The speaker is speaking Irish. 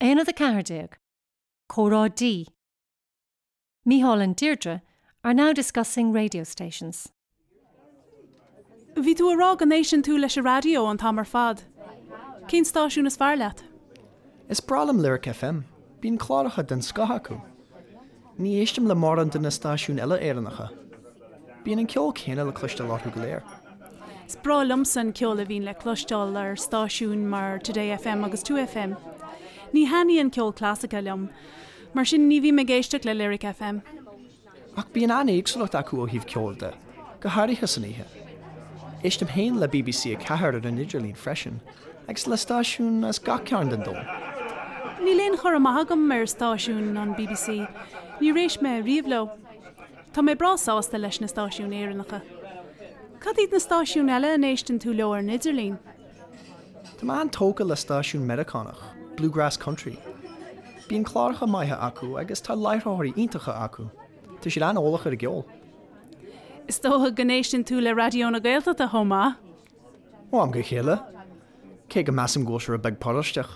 Aonad 14, Comhrá D. Mícheál and Deirdre are now discussing radio stations. Bhí tú ag rá go n-éisteann tú leis an raidió an t-am ar fad. Cén stáisiún is fearr leat? Is breá liom Lyric FM, bíonn cláracha den scoth acu. Ní éistim le mórán de na stáisiúin eile Éireannacha. Bíonn an ceol céanna le cloisteáil orthu go léir. Is breá liomsa an ceol a bhíonn le cloisteáil ar stáisiúin mar Today FM agus 2FM. Ní thaitníonn ceol clasaiceach liom, mar sin ní bhím ag éisteacht le Lyric FM. Ach bíonn an-éagsúlacht acu ó thaobh ceoil de, go háirithe san oíche. Éistim féin le BBC 4 ar an idirlíon freisin, agus le stáisiúin as gach cearn den domhan. Níl aon chur amach agam ar stáisiúin an bbc, níor éist mé riamh leo. Tá mé breá sásta leis na stáisiúin Éireannacha. Cad iad na stáisiúin eile a n-éisteann tú leo ar an idirlíon? Tá mé an-tógtha le stáisiún Meiriceánach, Bluegrass Country. Bíonn cláracha maithe acu agus tá láithreoirí iontacha acu. Tá siad an-eolach ar an gceol. Is dócha go n-éisteann tú le Raidió na Gaeltachta chomh maith? Ó am go chéile. Cé go measaim go bhfuil sé rud beag paróisteach.